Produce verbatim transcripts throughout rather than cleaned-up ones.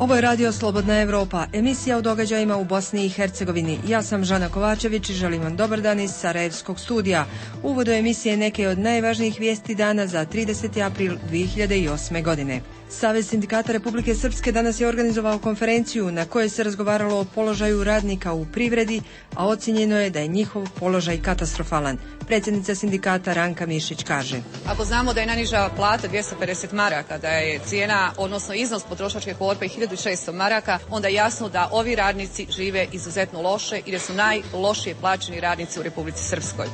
Ovo je Radio Slobodna Evropa, emisija o događajima u Bosni i Hercegovini. Ja sam Žana Kovačević i želim vam dobar dan iz Sarajevskog studija. U uvodu emisije neke od najvažnijih vijesti dana za trideseti april dvije hiljade osme. godine. Savez sindikata Republike Srpske danas je organizovao konferenciju na kojoj se razgovaralo o položaju radnika u privredi, a ocjenjeno je da je njihov položaj katastrofalan. Predsjednica sindikata Ranka Mišić kaže: Ako znamo da je najniža plata dvjesto pedeset maraka, da je cijena, odnosno iznos potrošačke korpe hiljadu šesto maraka, onda je jasno da ovi radnici žive izuzetno loše i da su najlošije plaćeni radnici u Republici Srpskoj.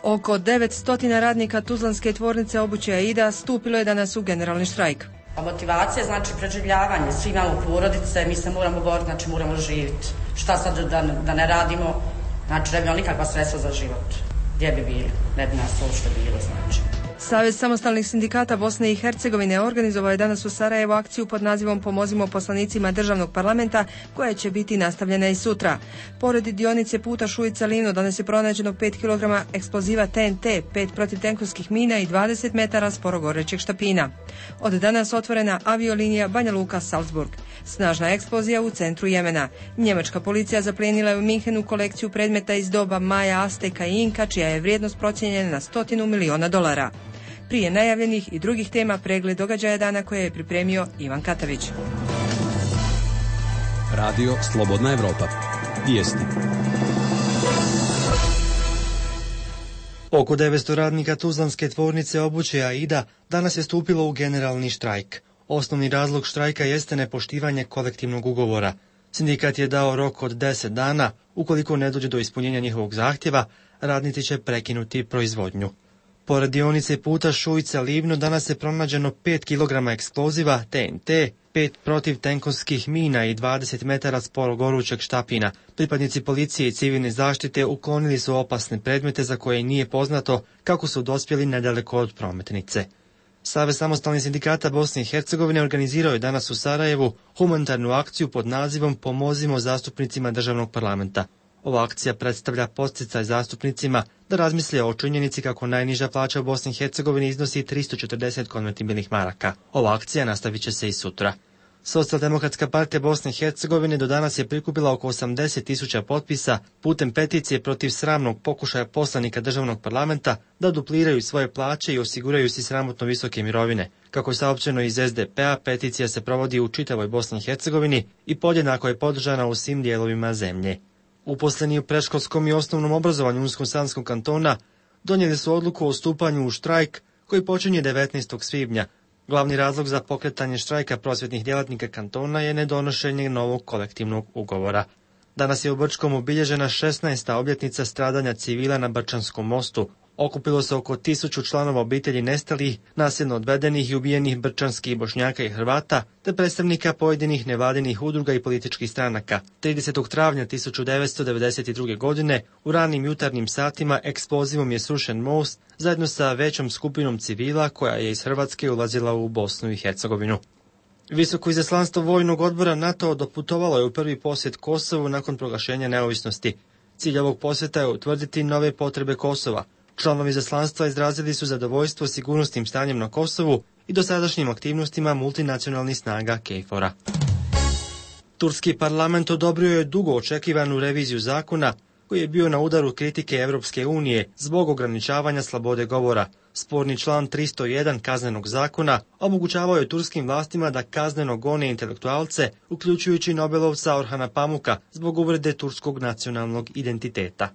Oko devetsto radnika Tuzlanske tvornice obuće Aida stupilo je danas u generalni štrajk. A motivacija znači preživljavanje, svi imamo porodice, mi se moramo boriti, znači moramo živjeti. Šta sad da, da ne radimo, znači ne bi imali nikakva sredstva za život. Gdje bi bili? Ne bi nas uopšte bilo, znači. Savez samostalnih sindikata Bosne i Hercegovine organizovao je danas u Sarajevu akciju pod nazivom Pomozimo poslanicima državnog parlamenta, koja će biti nastavljena i sutra. Pored dionice puta Šujica-Livno danas je pronađeno pet kilograma eksploziva T N T, pet protivtenkovskih mina i dvadeset metara sporogorećeg štapina. Od danas otvorena aviolinija Banja Luka-Salzburg. Snažna eksplozija u centru Jemena. Njemačka policija zaplijenila je u Minhenu kolekciju predmeta iz doba Maja, Asteka i Inka, čija je vrijednost procijenjena na stotinu miliona dolara. Prije najavljenih i drugih tema pregled događaja dana koje je pripremio Ivan Katavić. Radio Slobodna Evropa. Vijesti. Oko devetsto radnika Tuzlanske tvornice obuće Aida danas je stupilo u generalni štrajk. Osnovni razlog štrajka jeste nepoštivanje kolektivnog ugovora. Sindikat je dao rok od deset dana. Ukoliko ne dođe do ispunjenja njihovog zahtjeva, radnici će prekinuti proizvodnju. Pored dionice puta Šujica-Livno danas je pronađeno pet kilograma eksploziva T N T, pet protivtenkovskih mina i dvadeset metara sporogorućeg štapina. Pripadnici policije i civilne zaštite uklonili su opasne predmete za koje nije poznato kako su dospjeli nedaleko od prometnice. Savez samostalnih sindikata Bosne i Hercegovine organizirao je danas u Sarajevu humanitarnu akciju pod nazivom Pomozimo zastupnicima državnog parlamenta. Ova akcija predstavlja podsticaj zastupnicima da razmisle o činjenici kako najniža plaća u Bosni i Hercegovini iznosi tristo četrdeset konvertibilnih maraka. Ova akcija nastavit će se i sutra. Socijaldemokratska partija Bosne i Hercegovine do danas je prikupila oko osamdeset tisuća potpisa putem peticije protiv sramnog pokušaja poslanika državnog parlamenta da dupliraju svoje plaće i osiguraju si sramotno visoke mirovine. Kako je saopćeno iz S D P-a, peticija se provodi u čitavoj Bosni i Hercegovini i podjednako je podržana u svim dijelovima zemlje. Uposleni u predškolskom i osnovnom obrazovanju Unsko-Sanskog kantona donijeli su odluku o stupanju u štrajk koji počinje devetnaestog svibnja. Glavni razlog za pokretanje štrajka prosvjetnih djelatnika kantona je nedonošenje novog kolektivnog ugovora. Danas je u Brčkom obilježena šesnaesta obljetnica stradanja civila na Brčanskom mostu. Okupilo se oko tisuću članova obitelji nestalih, nasilno odvedenih i ubijenih brčanskih Bošnjaka i Hrvata, te predstavnika pojedinih nevladinih udruga i političkih stranaka. tridesetog travnja tisuću devetsto devedeset druge. godine u ranim jutarnjim satima eksplozivom je srušen most zajedno sa većom skupinom civila koja je iz Hrvatske ulazila u Bosnu i Hercegovinu. Visoko izaslanstvo vojnog odbora NATO doputovalo je u prvi posjet Kosovu nakon proglašenja neovisnosti. Cilj ovog posjeta je utvrditi nove potrebe Kosova. Članovi izaslanstva izrazili su zadovoljstvo sigurnosnim stanjem na Kosovu i dosadašnjim aktivnostima multinacionalnih snaga KFOR-a. Turski parlament odobrio je dugo očekivanu reviziju zakona koji je bio na udaru kritike Evropske unije zbog ograničavanja slobode govora. Sporni član tristo jedan kaznenog zakona omogućavao je turskim vlastima da kazneno gone intelektualce, uključujući Nobelovca Orhana Pamuka, zbog uvrede turskog nacionalnog identiteta.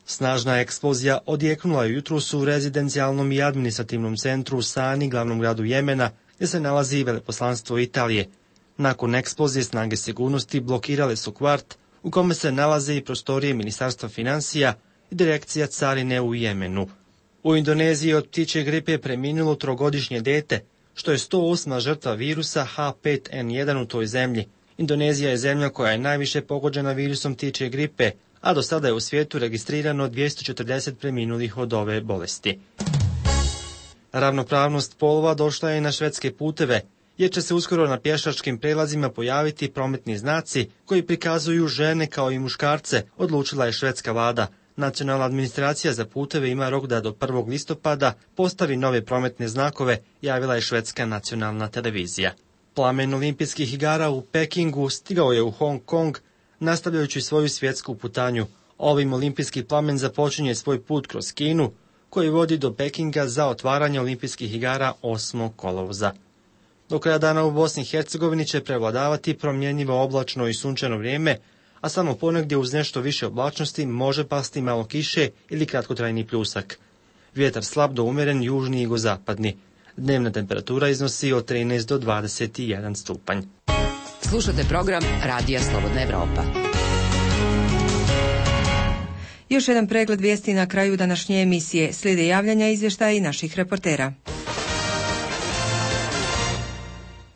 Snažna eksplozija odjeknula je jutros u rezidencijalnom i administrativnom centru u Sani, glavnom gradu Jemena, gdje se nalazi veleposlanstvo Italije. Nakon eksplozije snage sigurnosti blokirale su kvart u kome se nalaze i prostorije Ministarstva financija i direkcija carine u Jemenu. U Indoneziji od ptičje gripe je preminulo trogodišnje dete, što je sto osma žrtva virusa H pet N jedan u toj zemlji. Indonezija je zemlja koja je najviše pogođena virusom ptičje gripe, a do sada je u svijetu registrirano dvjesto četrdeset preminulih od ove bolesti. Ravnopravnost polova došla je i na švedske puteve, jer će se uskoro na pješačkim prelazima pojaviti prometni znaci koji prikazuju žene kao i muškarce, odlučila je švedska vlada. Nacionalna administracija za puteve ima rok da do prvog listopada postavi nove prometne znakove, javila je švedska nacionalna televizija. Plamen olimpijskih igara u Pekingu stigao je u Hong Kong, nastavljajući svoju svjetsku putanju. Ovim olimpijski plamen započinje svoj put kroz Kinu, koji vodi do Pekinga za otvaranje olimpijskih igara osmog kolovoza. Do kraja dana u Bosni i Hercegovini će prevladavati promjenjivo oblačno i sunčano vrijeme, a samo ponegdje uz nešto više oblačnosti može pasti malo kiše ili kratkotrajni pljusak. Vjetar slab do umjeren južni i jugozapadni. Dnevna temperatura iznosi od trinaest do dvadeset jedan stupanj. Slušate program Radija Slobodna Evropa. Još jedan pregled vijesti na kraju današnje emisije. Slijede javljanja, izvještaja i naših reportera.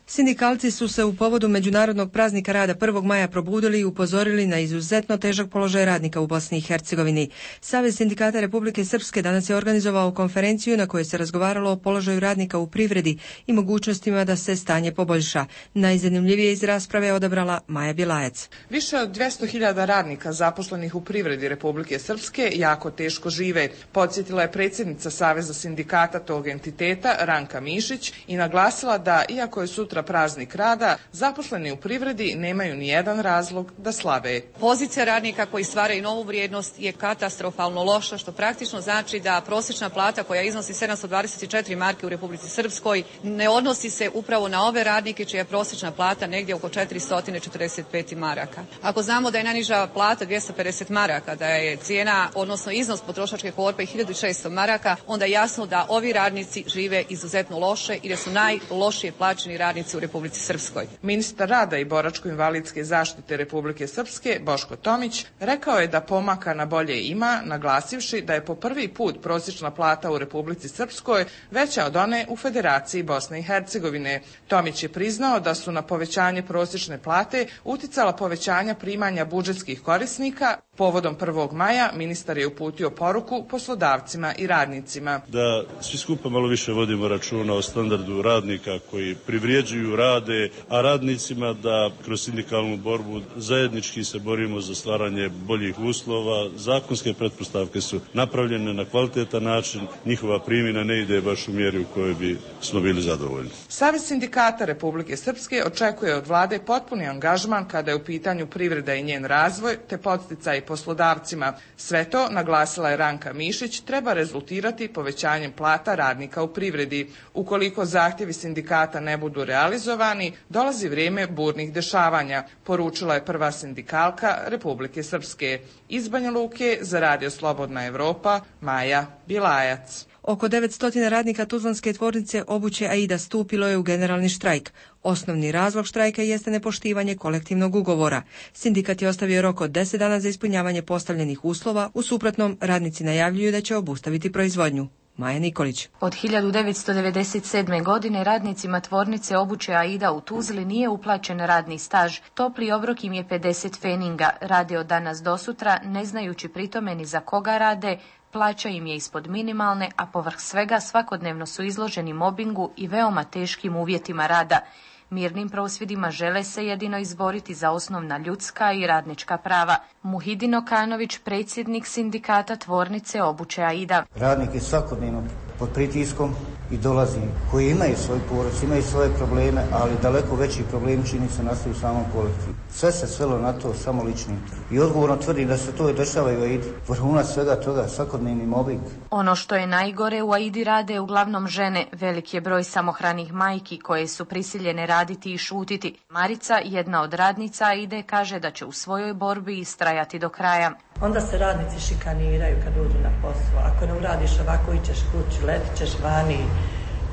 Sindikalci su se u povodu Međunarodnog praznika rada prvog maja probudili i upozorili na izuzetno težak položaj radnika u Bosni i Hercegovini. Savez sindikata Republike Srpske danas je organizovao konferenciju na kojoj se razgovaralo o položaju radnika u privredi i mogućnostima da se stanje poboljša. Najzanimljivije iz rasprave je odabrala Maja Bilajac. Više od dvjesto hiljada radnika zaposlenih u privredi Republike Srpske jako teško žive, podsjetila je predsjednica Saveza sindikata tog entiteta Ranka Mišić i naglasila da, iako je sutra praznik rada, zaposleni u privredi nemaju ni jedan razlog da slave. Pozicija radnika koji stvaraju novu vrijednost je katastrofalno loša, što praktično znači da prosječna plata koja iznosi sedamsto dvadeset četiri marke u Republici Srpskoj ne odnosi se upravo na ove radnike čija je prosječna plata negdje oko četiristo četrdeset pet maraka. Ako znamo da je najniža plata dvjesto pedeset maraka, da je cijena, odnosno iznos potrošačke korpe hiljadu šesto maraka, onda je jasno da ovi radnici žive izuzetno loše i da su najlošije plaćeni radnici u Republici Srpskoj. Ministar rada i boračko-invalidske zaštite Republike Srpske, Boško Tomić, rekao je da pomaka na bolje ima, naglasivši da je po prvi put prosječna plata u Republici Srpskoj veća od one u Federaciji Bosne i Hercegovine. Tomić je priznao da su na povećanje prosječne plate uticala povećanja primanja budžetskih korisnika. Povodom prvog maja ministar je uputio poruku poslodavcima i radnicima. Da svi skupa malo više vodimo računa o standardu radnika koji privređuju, rade, a radnicima da kroz sindikalnu borbu zajednički se borimo za stvaranje boljih uslova. Zakonske pretpostavke su napravljene na kvalitetan način, njihova primjena ne ide baš u mjeri u kojoj bi smo bili zadovoljni. Savez sindikata Republike Srpske očekuje od vlade potpuni angažman kada je u pitanju privreda i njen razvoj, te podsticaj poslodavcima. Sve to, naglasila je Ranka Mišić, treba rezultirati povećanjem plata radnika u privredi. Ukoliko zahtjevi sindikata ne budu realizovani, dolazi vrijeme burnih dešavanja, poručila je prva sindikalka Republike Srpske. Iz Banja Luke za Radio Slobodna Evropa, Maja Bilajac. Oko devetsto radnika Tuzlanske tvornice obuće Aida stupilo je u generalni štrajk. Osnovni razlog štrajka jeste nepoštivanje kolektivnog ugovora. Sindikat je ostavio rok od deset dana za ispunjavanje postavljenih uslova, u suprotnom radnici najavljuju da će obustaviti proizvodnju. Maja Nikolić. Od hiljadu devetsto devedeset sedme. godine radnicima tvornice obuće Aida u Tuzli nije uplaćen radni staž. Topli obrok im je pedeset feninga. Rade od danas do sutra, ne znajući pritome ni za koga rade, plaća im je ispod minimalne, a povrh svega svakodnevno su izloženi mobingu i veoma teškim uvjetima rada. Mirnim prosvjedima žele se jedino izboriti za osnovna ljudska i radnička prava. Muhidin Okanović, predsjednik sindikata tvornice obuće Aida. Radnik je svakodnevno pod pritiskom i dolazi, koji imaju svoj porodicu, imaju svoje probleme, ali daleko veći problem čini se nastaju u samom kolektivu. Sve se svelo na to samo lični. I odgovorno tvrdim da se to i dešava i u Aidi. Vrhunac svega toga, svakodnevni mobbing. Ono što je najgore, u Aidi rade uglavnom žene. Velik je broj samohranih majki koje su prisiljene raditi i šutiti. Marica, jedna od radnica Aide, kaže da će u svojoj borbi istrajati do kraja. Onda se radnici šikaniraju kad uđu na posao. Ako ne uradiš ovako, ićeš kući, letit ćeš vani,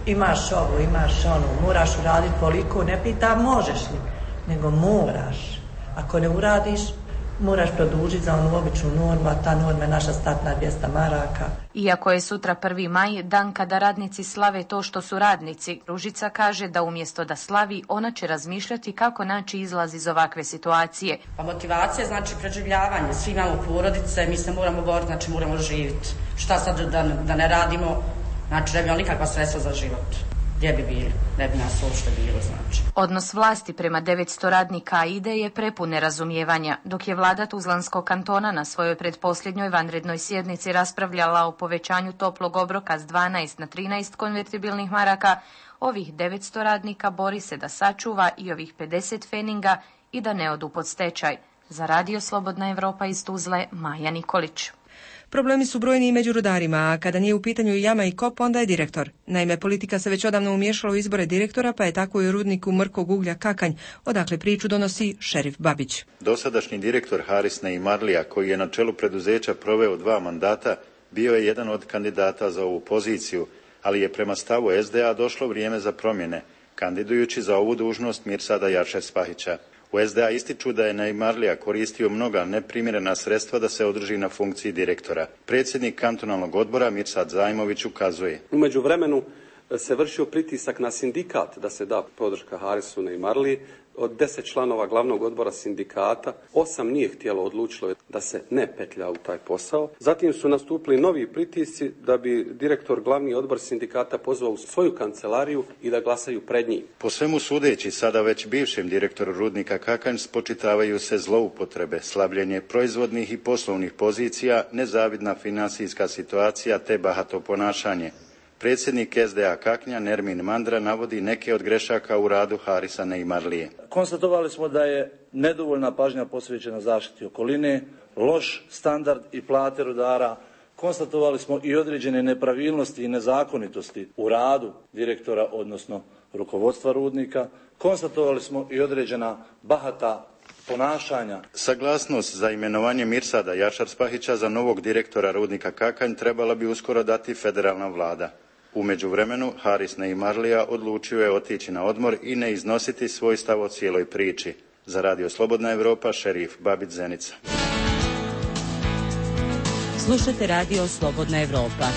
imaš ovo, imaš ono, moraš uraditi toliko, ne pita možeš li, nego moraš. Ako ne uradiš, moraš produžiti za onu običnu normu, a ta norma je naša startna dvjesto maraka. Iako je sutra prvi maj, dan kada radnici slave to što su radnici, Ružica kaže da umjesto da slavi, ona će razmišljati kako naći izlaz iz ovakve situacije. Pa motivacija znači preživljavanje, svi imamo porodice, mi se moramo boriti, znači moramo živjeti. Šta sad da, da ne radimo, znači ne bi imali nikakva sredstva za život. gdje bi bili, ne bi nas uopšte bilo, znači. Odnos vlasti prema devetsto radnika AIDE je prepun nerazumijevanja, dok je vlada Tuzlanskog kantona na svojoj pretposljednjoj vanrednoj sjednici raspravljala o povećanju toplog obroka s dvanaest na trinaest konvertibilnih maraka, ovih devetsto radnika bori se da sačuva i ovih pedeset feninga i da ne odu pod stečaj. Za Radio Slobodna Evropa iz Tuzle, Maja Nikolić. Problemi su brojni i među rudarima, a kada nije u pitanju jama i kop, onda je direktor. Naime, politika se već odavno umiješala u izbore direktora, pa je tako i u rudniku mrkog uglja Kakanj, odakle priču donosi Šerif Babić. Dosadašnji direktor Haris Neimarlija, koji je na čelu preduzeća proveo dva mandata, bio je jedan od kandidata za ovu poziciju, ali je prema stavu es de a došlo vrijeme za promjene, kandidujući za ovu dužnost Mirsada Jašar-Spahića. U es de a ističu da je Neimarlija koristio mnoga neprimjerena sredstva da se održi na funkciji direktora. Predsjednik kantonalnog odbora Mirsad Zajmović ukazuje. U međuvremenu se vršio pritisak na sindikat da se da podrška Harisu Neimarliji. Od deset članova glavnog odbora sindikata, osam nije htjelo, odlučilo da se ne petlja u taj posao. Zatim su nastupili novi pritisci da bi direktor glavni odbor sindikata pozvao u svoju kancelariju i da glasaju pred njim. Po svemu sudeći, sada već bivšem direktoru rudnika Kakanj spočitavaju se zloupotrebe, slabljenje proizvodnih i poslovnih pozicija, nezavidna finansijska situacija te bahato ponašanje. Predsjednik es de a Kaknja Nermin Mandra navodi neke od grešaka u radu Harisa Neimarlije. Konstatovali smo da je nedovoljna pažnja posvećena zaštiti okoline, loš standard i plate rudara. Konstatovali smo i određene nepravilnosti i nezakonitosti u radu direktora, odnosno rukovodstva rudnika. Konstatovali smo i određena bahata ponašanja. Saglasnost za imenovanje Mirsada Jašar-Spahića za novog direktora rudnika Kakanj trebala bi uskoro dati federalna vlada. U međuvremenu, Haris Neimarlija odlučio je otići na odmor i ne iznositi svoj stav o cijeloj priči. Za Radio Slobodna Evropa, Šerif Babić, Zenica. Slušajte Radio Slobodna Evropa.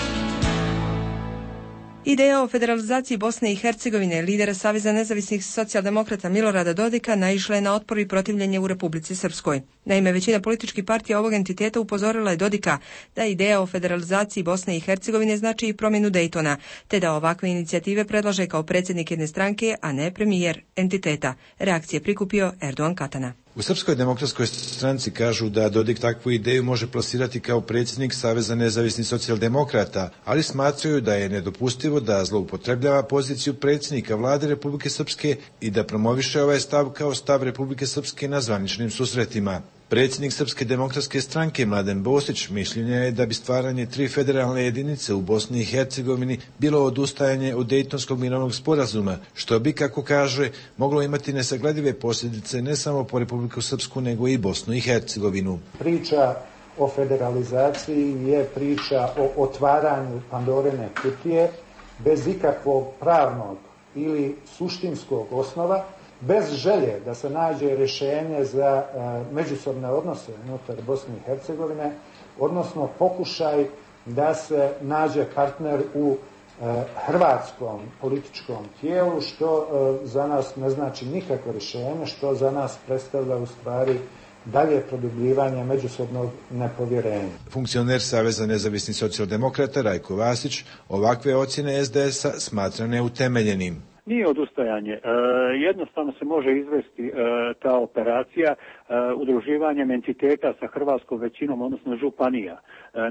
Ideja o federalizaciji Bosne i Hercegovine lidera Saveza nezavisnih socijaldemokrata Milorada Dodika naišla je na otpor i protivljenje u Republici Srpskoj. Naime, većina političkih partija ovog entiteta upozorila je Dodika da ideja o federalizaciji Bosne i Hercegovine znači i promjenu Dejtona, te da ovakve inicijative predlaže kao predsjednik jedne stranke, a ne premijer entiteta. Reakcije prikupio Erdogan Katana. U Srpskoj demokratskoj stranci kažu da Dodik takvu ideju može plasirati kao predsjednik Saveza nezavisnih socijaldemokrata, ali smatraju da je nedopustivo da zloupotrebljava poziciju predsjednika vlade Republike Srpske i da promoviše ovaj stav kao stav Republike Srpske na zvaničnim susretima. Predsjednik Srpske demokratske stranke Mladen Bosić mišljenja je da bi stvaranje tri federalne jedinice u Bosni i Hercegovini bilo odustajanje od Dejtonskog mirovnog sporazuma, što bi, kako kaže, moglo imati nesagledive posljedice ne samo po Republiku Srpsku, nego i Bosnu i Hercegovinu. Priča o federalizaciji je priča o otvaranju Pandorine kutije bez ikakvog pravnog ili suštinskog osnova, bez želje da se nađe rješenje za e, međusobne odnose unutar Bosne i Hercegovine, odnosno pokušaj da se nađe partner u e, hrvatskom političkom tijelu, što e, za nas ne znači nikakvo rješenje, što za nas predstavlja u stvari dalje produbljivanje međusobnog nepovjerenja. Funkcioner Saveza nezavisnih socijaldemokrata Rajko Vasić ovakve ocjene es de es a smatra neutemeljenim. Nije odustajanje. E, jednostavno se može izvesti e, ta operacija e, udruživanjem entiteta sa hrvatskom većinom, odnosno županija. E,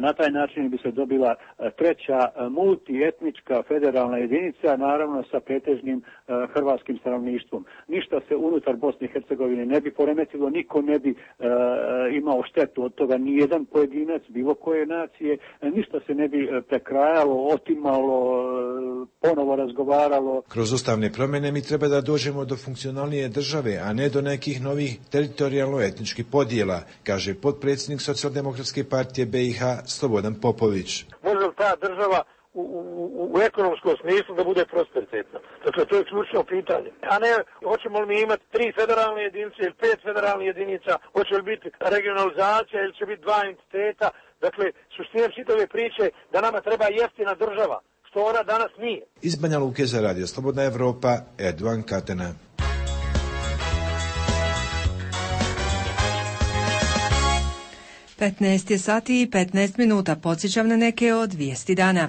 na taj način bi se dobila treća multietnička federalna jedinica, naravno sa pretežnim e, hrvatskim stanovništvom. Ništa se unutar Bosne i Hercegovine ne bi poremetilo, niko ne bi e, imao štetu od toga, nijedan pojedinac, bilo koje nacije, e, ništa se ne bi prekrajalo, otimalo, ponovo razgovaralo. Kroz ustavne promjene mi treba da dođemo do funkcionalnije države, a ne do nekih novih teritorijalno-etničkih podjela, kaže potpredsjednik Socijaldemokratske partije be i ha Slobodan Popović. Može li ta država u, u, u ekonomskom smislu da bude prosperitetna? Dakle, to je ključno pitanje. A ne, hoćemo li mi imati tri federalne jedinice ili pet federalnih jedinica, hoće li biti regionalizacija ili će biti dva entiteta. Dakle, suština čitave priče da nama treba jeftina država, što ona danas nije. Iz Banja Luke za Radio Slobodna Evropa, Erdogan Katana. petnaest je sati i petnaest minuta. Podsjećam na neke od vijesti dana.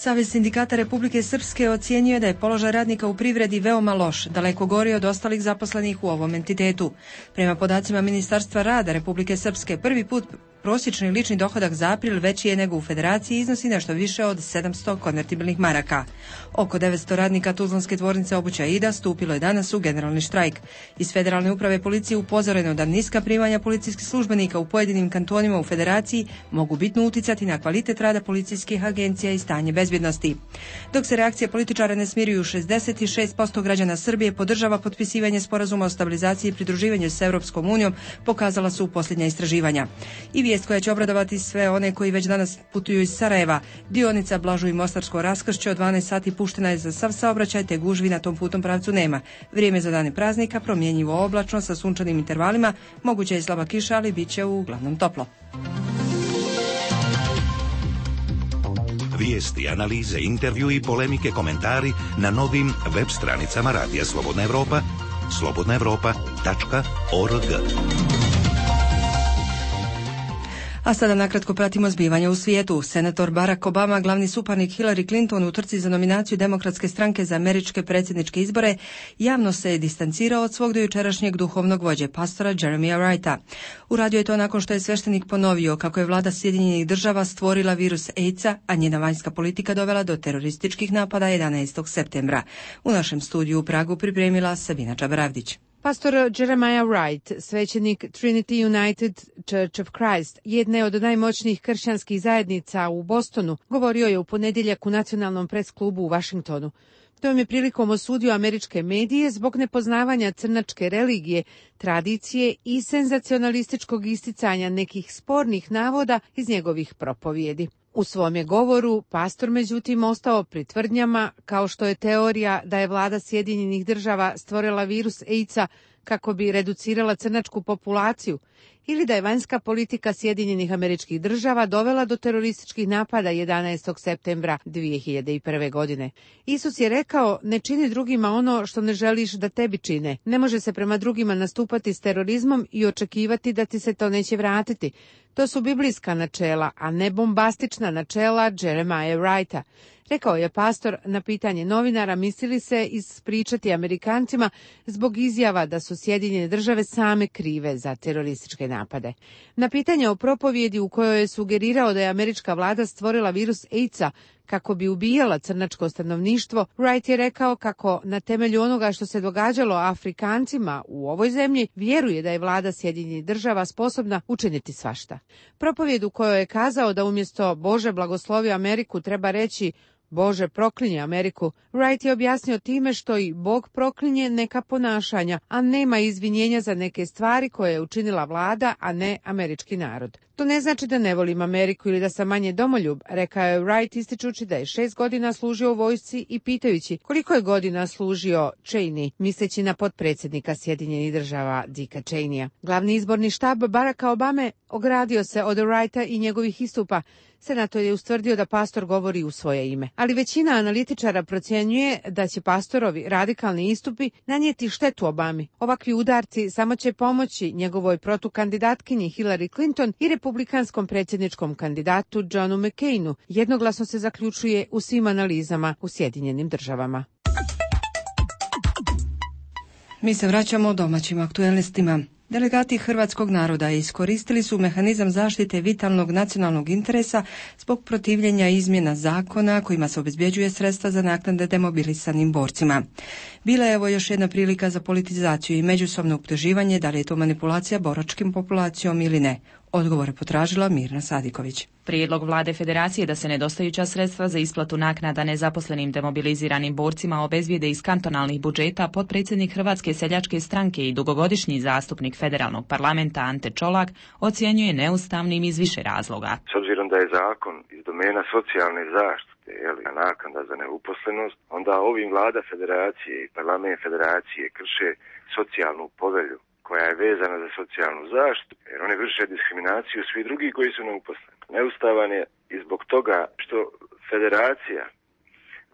Savez sindikata Republike Srpske ocjenjuje da je položaj radnika u privredi veoma loš, daleko gori od ostalih zaposlenih u ovom entitetu. Prema podacima Ministarstva rada Republike Srpske, prvi put prosječni lični dohodak za april veći je nego u Federaciji i iznosi nešto više od sedamsto konvertibilnih maraka. Oko devetsto radnika Tuzlanske tvornice obuće Aida stupilo je danas u generalni štrajk. Iz Federalne uprave policije upozoreno da niska primanja policijskih službenika u pojedinim kantonima u Federaciji mogu bitno uticati na kvalitet rada policijskih agencija i stanje bezbjednosti. Dok se reakcije političara ne smiruju, šezdeset šest posto građana Srbije podržava potpisivanje sporazuma o stabilizaciji i pridruživanju s Europskom unijom, pokazala su posljednja istraživanja. I vijest koja će obradovati sve one koji već danas putuju iz Sarajeva. Dionica Blažu i Mostarsko raskršće od dvanaest sati puštena je za sav saobraćaj, te gužvi na tom putnom pravcu nema. Vrijeme za dane praznika promjenjivo oblačno sa sunčanim intervalima, moguće je slaba kiša, ali bit će uglavnom toplo. Vijesti, analize, intervju i polemike, komentari na novim web stranicama Radija Slobodna Evropa, slobodna evropa tačka org. A sada nakratko pratimo zbivanja u svijetu. Senator Barack Obama, glavni suparnik Hillary Clinton u trci za nominaciju Demokratske stranke za američke predsjedničke izbore, javno se je distancirao od svog dojučerašnjeg duhovnog vođe, pastora Jeremiah Wrighta. Uradio je to nakon što je sveštenik ponovio kako je vlada Sjedinjenih država stvorila virus AIDS-a, a njena vanjska politika dovela do terorističkih napada jedanaestog septembra. U našem studiju u Pragu pripremila Sabina Čabravdić. Pastor Jeremiah Wright, svećenik Trinity United Church of Christ, jedne od najmoćnijih kršćanskih zajednica u Bostonu, govorio je u ponedjeljak u Nacionalnom presklubu u Washingtonu. Tom je prilikom osudio američke medije zbog nepoznavanja crnačke religije, tradicije i senzacionalističkog isticanja nekih spornih navoda iz njegovih propovijedi. U svom je govoru pastor međutim ostao pri tvrdnjama kao što je teorija da je vlada Sjedinjenih država stvorila virus AIDS-a kako bi reducirala crnačku populaciju ili da je vanjska politika Sjedinjenih Američkih Država dovela do terorističkih napada jedanaestog septembra dvije hiljade prve. godine. Isus je rekao: ne čini drugima ono što ne želiš da tebi čine. Ne može se prema drugima nastupati s terorizmom i očekivati da ti se to neće vratiti. To su biblijska načela, a ne bombastična načela Jeremiah Wrighta. Rekao je pastor na pitanje novinara mislili se ispričati Amerikancima zbog izjava da su Sjedinjene države same krive za terorističke napade. Na pitanje o propovjedi u kojoj je sugerirao da je američka vlada stvorila virus AIDS-a kako bi ubijala crnačko stanovništvo, Wright je rekao kako na temelju onoga što se događalo Afrikancima u ovoj zemlji vjeruje da je vlada Sjedinjenih država sposobna učiniti svašta. Propovjed u kojoj je kazao da umjesto Bože blagoslovi Ameriku treba reći Bože proklinje Ameriku, Wright je objasnio time što i Bog proklinje neka ponašanja, a nema izvinjenja za neke stvari koje je učinila vlada, a ne američki narod. To ne znači da ne volim Ameriku ili da sam manje domoljub, rekao je Wright ističući da je šest godina služio u vojsci i pitajući koliko je godina služio Cheney, misleći na potpredsjednika Sjedinjenih država Dicka Cheneya. Glavni izborni štab Baracka Obame ogradio se od Wrighta i njegovih istupa. Senator je ustvrdio da pastor govori u svoje ime. Ali većina analitičara procjenjuje da će pastorovi radikalni istupi nanijeti štetu Obami. Ovakvi udarci samo će pomoći njegovoj protukandidatkinji Hillary Clinton i republikanskom predsjedničkom kandidatu Johnu McCainu. Jednoglasno se zaključuje u svim analizama u Sjedinjenim državama. Mi se vraćamo domaćim aktualnostima. Delegati hrvatskog naroda iskoristili su mehanizam zaštite vitalnog nacionalnog interesa zbog protivljenja izmjena zakona kojima se obezbjeđuje sredstva za naknade demobilisanim borcima. Bila je ovo još jedna prilika za politizaciju i međusobno optuživanje da li je to manipulacija boračkim populacijom ili ne. Odgovore potražila Mirna Sadiković. Prijedlog vlade Federacije da se nedostajuća sredstva za isplatu naknada nezaposlenim demobiliziranim borcima obezbijede iz kantonalnih budžeta potpredsjednik Hrvatske seljačke stranke i dugogodišnji zastupnik federalnog parlamenta Ante Čolak ocjenjuje neustavnim iz više razloga. S obzirom da je zakon iz domena socijalne zaštite, jeli, naknada za neuposlenost, onda ovim vlada Federacije i parlament Federacije krše socijalnu povelju koja je vezana za socijalnu zaštitu, jer oni vrše diskriminaciju svi drugi koji su neuposleni. Neustavan je i zbog toga što Federacija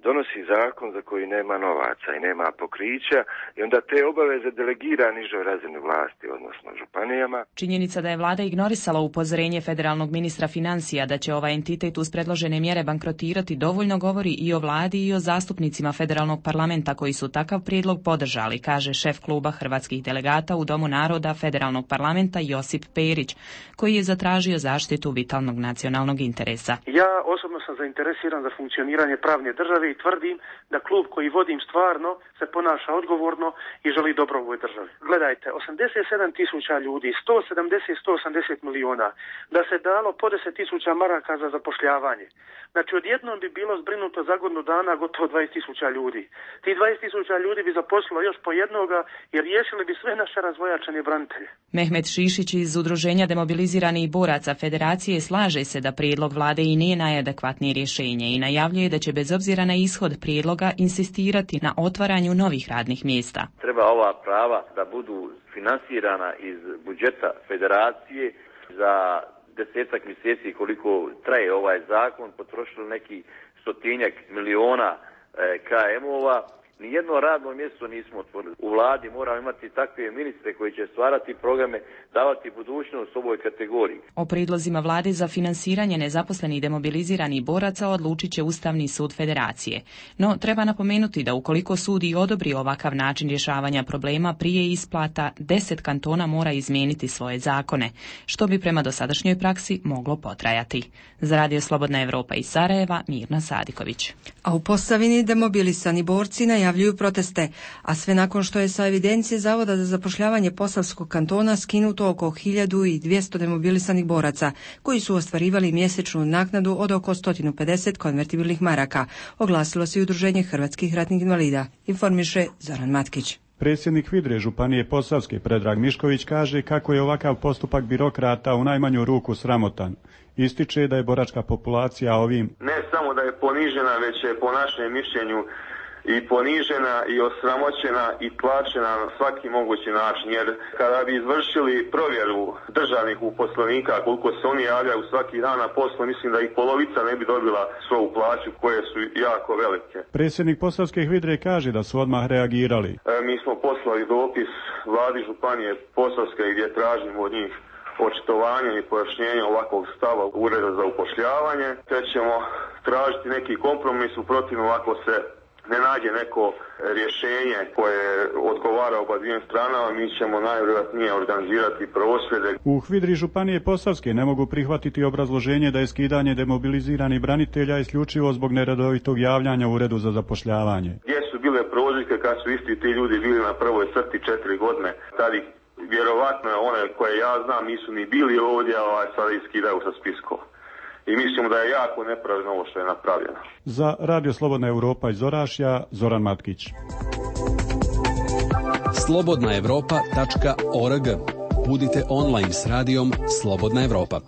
donosi zakon za koji nema novaca i nema pokrića i onda te obaveze delegira nižoj razini vlasti, odnosno županijama. Činjenica da je vlada ignorisala upozorenje federalnog ministra financija da će ovaj entitet uz predložene mjere bankrotirati dovoljno govori i o vladi i o zastupnicima federalnog parlamenta koji su takav prijedlog podržali, kaže šef kluba hrvatskih delegata u Domu naroda federalnog parlamenta Josip Perić, koji je zatražio zaštitu vitalnog nacionalnog interesa. Ja osobno sam zainteresiran za funkcioniranje pravne države i tvrdim da klub koji vodim stvarno se ponaša odgovorno i želi dobro ovoj državi. Gledajte, osamdeset sedam tisuća ljudi, sto sedamdeset do sto osamdeset miliona, da se dalo po deset tisuća maraka za zapošljavanje. Znači, odjednom bi bilo zbrinuto za godinu dana gotovo dvadeset tisuća ljudi. Ti dvadeset tisuća ljudi bi zaposlilo još po jednoga i riješili bi sve naše razvojačene branitelje. Mehmet Šišić iz Udruženja demobiliziranih boraca Federacije slaže se da prijedlog vlade i nije najadekvatnije rješenje i najavljuje da će bez obzira na ishod prijedloga insistirati na otvaranju novih radnih mjesta. Treba ova prava da budu finansirana iz budžeta Federacije. Za desetak mjeseci koliko traje ovaj zakon potrošili neki stotinjak miliona K M-ova. Nijedno radno mjesto nismo otvorili. U vladi moramo imati takve ministre koji će stvarati programe, davati budućnost ovoj kategoriji. O prijedlozima vlade za finansiranje nezaposlenih demobiliziranih boraca odlučit će Ustavni sud Federacije. No, treba napomenuti da ukoliko sud i odobri ovakav način rješavanja problema prije isplata, deset kantona mora izmijeniti svoje zakone, što bi prema dosadašnjoj praksi moglo potrajati. Za Radio Slobodna Evropa iz Sarajeva, Mirna Sadiković. A u Posavini demobilisani borci najavljuju proteste, a sve nakon što je sa evidencije Zavoda za zapošljavanje Posavskog kantona skinuto oko hiljadu dvjesto demobilisanih boraca, koji su ostvarivali mjesečnu naknadu od oko sto pedeset konvertibilnih maraka, oglasilo se i Udruženje hrvatskih ratnih invalida, informiše Zoran Matkić. Predsjednik Hvidre županije Posavske Predrag Mišković kaže kako je ovakav postupak birokrata u najmanju ruku sramotan. Ističe da je boračka populacija ovim ne samo da je ponižena, već je po našem mišljenju i ponižena i osramoćena i tlačena na svaki mogući način, jer kada bi izvršili provjeru državnih uposlenika koliko se oni javljaju svaki dan na poslu, mislim da ih polovica ne bi dobila svoju plaću koje su jako velike. Predsjednik Posavske Hvidre kaže da su odmah reagirali. E, mi smo poslali dopis vladi županije Posavske gdje tražimo od njih očitovanje i pojašnjenje ovakvog stava Ureda za upošljavanje, te ćemo tražiti neki kompromis, u protivnom ako se ne nađe neko rješenje koje odgovara oba dvije stranama, mi ćemo najvjerojatnije organizirati prosvjede. U Hvidri županije Posavske ne mogu prihvatiti obrazloženje da je skidanje demobiliziranih branitelja isključivo zbog neredovitog javljanja u Uredu za zapošljavanje. Gdje su bile prozivke kad su isti ti ljudi bili na prvoj crti četiri godine, tad ih vjerovatno one koje ja znam nisu ni bili ovdje, a sada ih skidaju sa spiskova. I mislimo da je jako nepravedno ovo što je napravljeno. Za Radio Slobodna Evropa iz Orašja, Zoran Matkić. slobodna evropa tačka org. Budite online s radijom Slobodna Evropa.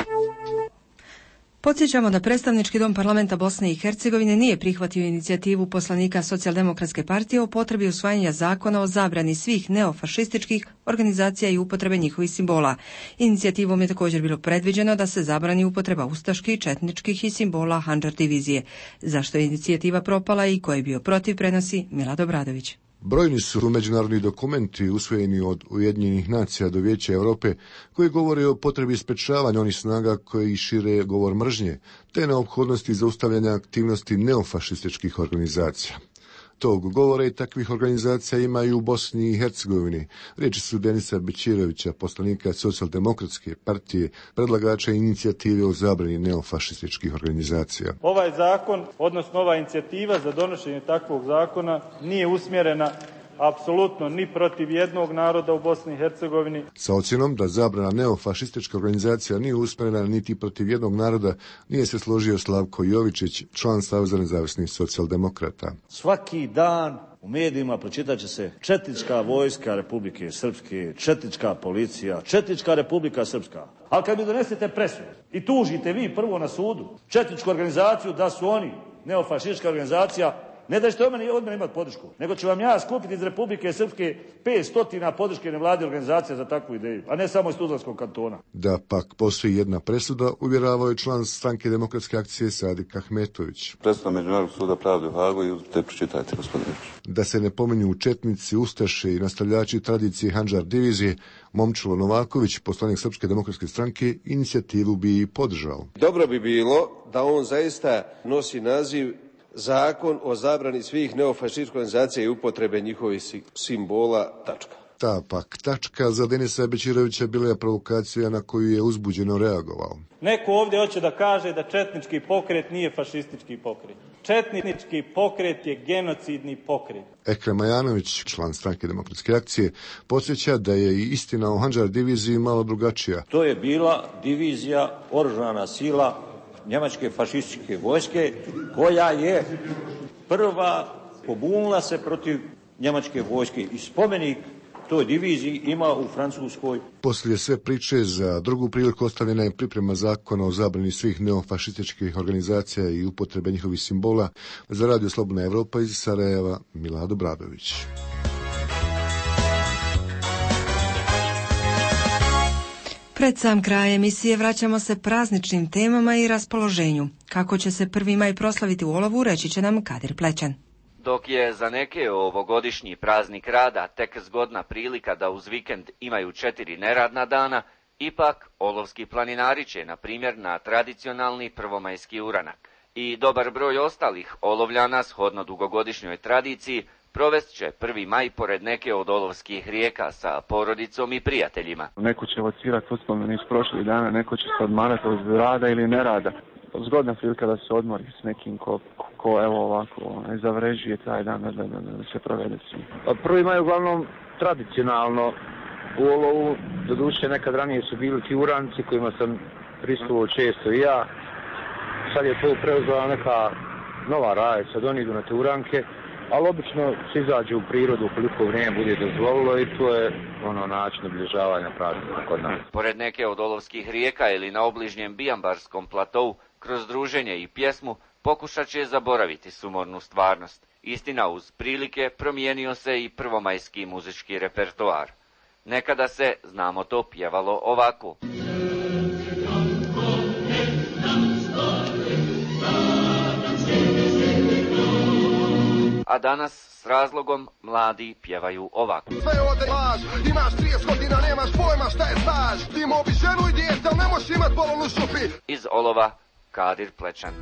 Podsjećamo da predstavnički dom parlamenta Bosne i Hercegovine nije prihvatio inicijativu poslanika Socijaldemokratske partije o potrebi usvajanja zakona o zabrani svih neofašističkih organizacija i upotrebe njihovih simbola. Inicijativom je također bilo predviđeno da se zabrani upotreba ustaških, četničkih i simbola Handžar divizije. Zašto je inicijativa propala i ko je bio protiv, prenosi Milad Obradović. Brojni su međunarodni dokumenti usvojeni od Ujedinjenih nacija do Vijeća Europe koji govore o potrebi sprečavanja onih snaga koji šire govor mržnje, te neophodnosti zaustavljanja aktivnosti neofašističkih organizacija. Tog govora i takvih organizacija ima i u Bosni i Hercegovini. Riječi su Denisa Bećirovića, poslanika Socijaldemokratske partije, predlagača inicijative o zabrani neofašističkih organizacija. Ovaj zakon, odnosno ova inicijativa za donošenje takvog zakona nije usmjerena apsolutno ni protiv jednog naroda u Bosni i Hercegovini. Sa ocjenom da zabrana neofašistička organizacija nije usmjerena niti protiv jednog naroda, nije se složio Slavko Jovičić, član Saveza nezavisnih socijaldemokrata. Svaki dan u medijima pročitat će se četnička vojska Republike Srpske, četnička policija, četnička Republika Srpska. Ali kad mi donesete presudu i tužite vi prvo na sudu četničku organizaciju da su oni neofašistička organizacija, Ne da ćete od mene, od mene imati podršku, nego ću vam ja skupiti iz Republike Srpske pet stotina podrške nevladine organizacije za takvu ideju, a ne samo iz Tuzlanskog kantona. Da pak postoji jedna presuda, uvjeravao je član stranke Demokratske akcije Sadik Ahmetović. Presuda Međunarodnog suda pravde u Hagu i te pročitajte, gospodine. Da se ne pominju četnici, ustaše i nastavljači tradicije Handžar divizije, Momčilo Novaković, poslanik Srpske demokratske stranke, inicijativu bi i podržao. Dobro bi bilo da on zaista nosi naziv Zakon o zabrani svih neofašističkih organizacija i upotrebe njihovih simbola, tačka. Ta pak tačka za Denisa Bećirovića bila je provokacija na koju je uzbuđeno reagovao. Neko ovdje hoće da kaže da četnički pokret nije fašistički pokret. Četnički pokret je genocidni pokret. Ekrem Ajanović, član stranke Demokratske akcije, podsjeća da je i istina o Handžar diviziji malo drugačija. To je bila divizija, oružana sila njemačke fašističke vojske, koja je prva pobunila se protiv njemačke vojske i spomenik toj diviziji ima u Francuskoj. Poslije sve priče za drugu priliku ostavljena je priprema zakona o zabrani svih neofašističkih organizacija i upotrebe njihovih simbola. Za Radio Slobodna Evropa iz Sarajeva, Milado Bradović. Pred sam kraj emisije vraćamo se prazničnim temama i raspoloženju. Kako će se prvi maj proslaviti u Olovu, reći će nam Kadir Plećan. Dok je za neke ovogodišnji praznik rada tek zgodna prilika da uz vikend imaju četiri neradna dana, ipak olovski planinari će, na primjer, na tradicionalni prvomajski uranak i dobar broj ostalih olovljana, shodno dugogodišnjoj tradiciji, provest će prvi maj pored neke od olovskih rijeka sa porodicom i prijateljima. Neko će locirati uspomene iz prošlih dana, neko će se odmarati od rada ili nerada. Zgodna prilika da se odmori s nekim ko, ko evo ovako zavređuje taj dan da, da, da se provede svi. Prvi maj uglavnom tradicionalno u Olovu, doduše nekad ranije su bili ti uranci kojima sam prisustvovao često i ja. Sad je to preuzela neka nova rajica, da oni idu na te uranke, ali obično se izađe u prirodu koliko vrijeme bude dozvolilo i to je ono način obilježavanja praznika kod nas. Pored neke od olovskih rijeka ili na obližnjem Bijambarskom platovu, kroz druženje i pjesmu pokušat će zaboraviti sumornu stvarnost. Istina, uz prilike promijenio se i prvomajski muzički repertoar. Nekada se, znamo to, pjevalo ovako. A danas s razlogom mladi pjevaju ovako. Sve ode laž, imaš trideset godina, nemaš pojma šta je staž. Ti mobi ženu i dijete, ali ne možeš imat polovnu šupi. Iz Olova, Kadir Plećan.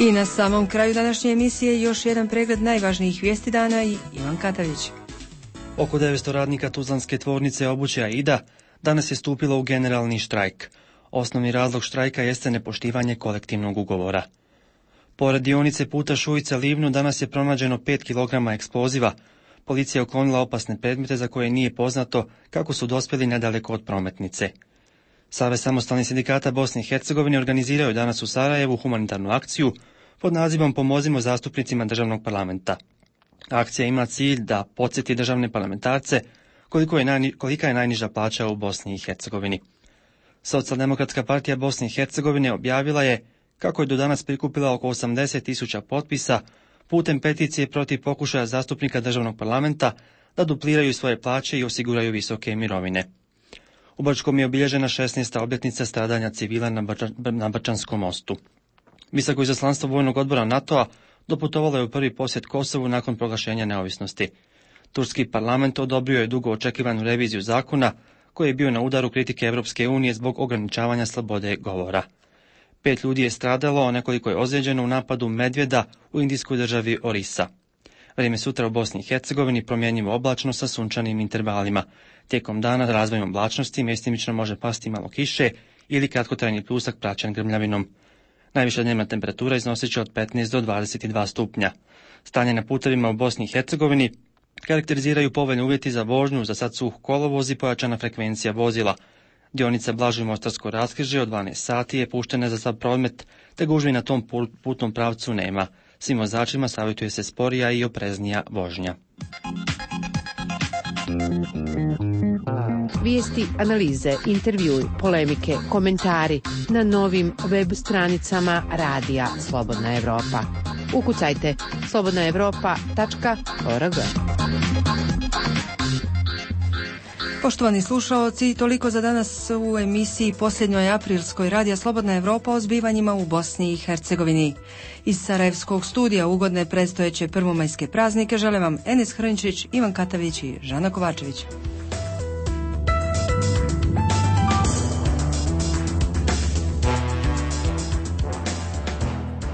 I na samom kraju današnje emisije još jedan pregled najvažnijih vijesti dana i Ivan Katavić. Oko devetsto radnika tuzlanske tvornice obuće Aida danas je stupilo u generalni štrajk. Osnovni razlog štrajka jeste nepoštivanje kolektivnog ugovora. Pored dionice puta Šujica-Livnu danas je pronađeno pet kilograma eksploziva. Policija je uklonila opasne predmete za koje nije poznato kako su dospjeli nedaleko od prometnice. Savez samostalnih sindikata Bosne i Hercegovine organizirao je danas u Sarajevu humanitarnu akciju pod nazivom Pomozimo zastupnicima državnog parlamenta. Akcija ima cilj da podsjeti državne parlamentarce koliko je najni, kolika je najniža plaća u Bosni i Hercegovini. Socijaldemokratska partija Bosne i Hercegovine objavila je kako je do danas prikupila oko osamdeset tisuća potpisa putem peticije protiv pokušaja zastupnika državnog parlamenta da dupliraju svoje plaće i osiguraju visoke mirovine. U Brčkom je obilježena šesnaesta obljetnica stradanja civila na, Brča, na Brčanskom mostu. Visoko izaslanstvo vojnog odbora NATO-a doputovalo je u prvi posjet Kosovu nakon proglašenja neovisnosti. Turski parlament odobrio je dugo očekivanu reviziju zakona koji je bio na udaru kritike Europske unije zbog ograničavanja slobode govora. Pet ljudi je stradalo, a nekoliko je ozlijeđeno u napadu medvjeda u indijskoj državi Orisa. Vrijeme sutra u Bosni i Hercegovini promjenjivo oblačno sa sunčanim intervalima. Tijekom dana razvojem oblačnosti mjestimično može pasti malo kiše ili kratkotrajni pljusak praćen grmljavinom. Najviša dnevna temperatura iznosit će od petnaest do dvadeset dva stupnja. Stanje na putevima u Bosni i Hercegovini karakteriziraju povoljni uvjeti za vožnju, za sad suh kolovoz i pojačana frekvencija vozila. Dionica Blažuje Mostarsko raskrižje od dvanaest sati je puštena za sav promet, te gužvi na tom putnom pravcu nema. Svim vozačima savjetuje se sporija i opreznija vožnja. Vijesti, analize, intervjui, polemike, komentari na novim web stranicama Radija Slobodna Evropa. Ukucajte slobodna evropa tačka org. Poštovani slušaoci, toliko za danas u emisiji posljednjoj aprilskoj Radija Slobodna Evropa o zbivanjima u Bosni i Hercegovini. Iz Sarajevskog studija ugodne predstojeće prvomajske praznike žele vam Enes Hrnčić, Ivan Katavić i Žana Kovačević.